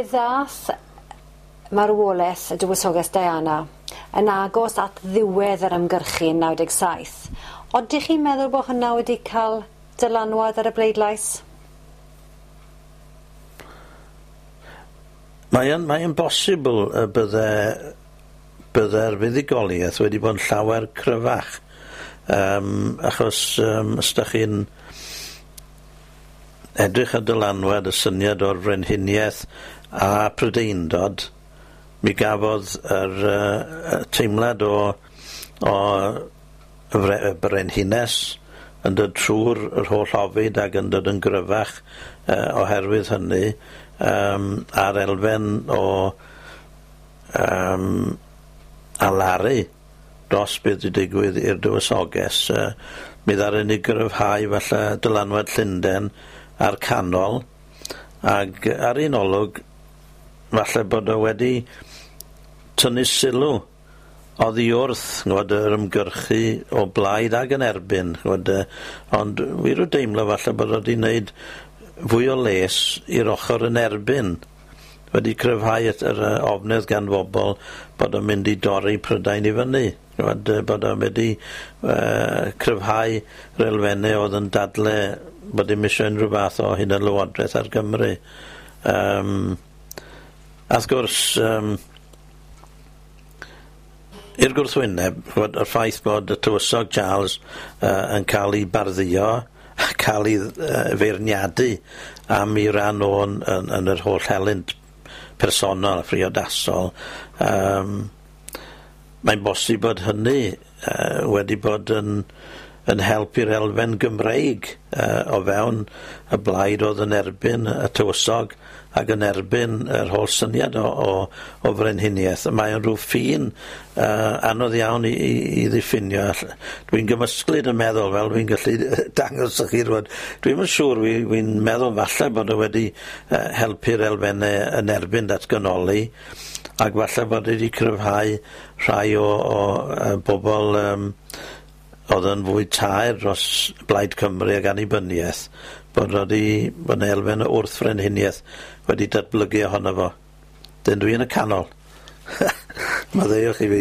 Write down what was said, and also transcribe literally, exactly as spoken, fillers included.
Fe ddath marwoleth y dywysoges Diana yn agos at ddiwedd yr ymgyrchu yn naw deg saith. Odych chi'n meddwl bod hwnna wedi cael dylanwad ar y bleidlais? Mae yn, mae yn bosibl y bydde, bydde'r fuddugoliaeth wedi bod yn llawer cryfach. Um, achos um, os 'dach chi'n edrych ar dylanwad y syniad o'r frenhiniaeth a Prydeindod, mi gafodd yr uh, teimlad o, o y fre- y brenhines yn dod trwy'r yr holl ofid ac yn dod yn gryfach uh, oherwydd hynny, um, a'r elfen o um, alaru dros beth wedi digwydd i'r dywysoges, uh, mi ddaru ni gryfhau falle dylanwad Llundain a'r canol, ag ar un olwg falle bod o wedi tynnu sylw oddi wrth, ch'mod, yr ymgyrchu o blaid ag yn erbyn, ch'mod, yy, ond wir ryw deimlo falle bod o wedi wneud fwy o les i'r ochr yn erbyn, wedi cryfhau yr yr yy ofnedd gan bobol bod o'n mynd i dorri Prydain i fyny, ch'mod, yy, bod o'n wedi yy cryfhau yr elfenne oedd yn dadle bod dim isio unrhyw fath o hunanlywodraeth ar Gymru. Yym, a wrth gwrs, yym, i'r gwrthwyneb, ch'mod, y ffaith bod y tywysog Charles yy yn cael ei bardduo, a cael ei yy feirniadu am ei ran o'n yn, yn yr holl helynt personol a phriodasol, yym, mae'n bosib bod hynny yy wedi bod yn yn help i'r elfen Gymreig yy o fewn y blaid oedd yn erbyn y tywysog ac yn erbyn yr holl syniad o o o frenhiniaeth. Mae o'n rhyw ffin yy anodd iawn i i i ddiffinio. Dwi'n gymysglyd yn meddwl, fel dwi'n gallu dangos i chi rŵan. Dwi'm yn siŵr, wi wi'n meddwl falle bod o wedi yy helpu'r elfenne yn erbyn datganoli, ac falle bod wedi cryfhau rhai o o yy bobol yym oedd yn fwy taer dros Blaid Cymru ag annibyniaeth, bod wedi bod 'na elfen o wrth frenhiniaeth wedi datblygu ohono fo. Dyn dwi yn y canol. Maddeuwch i fi.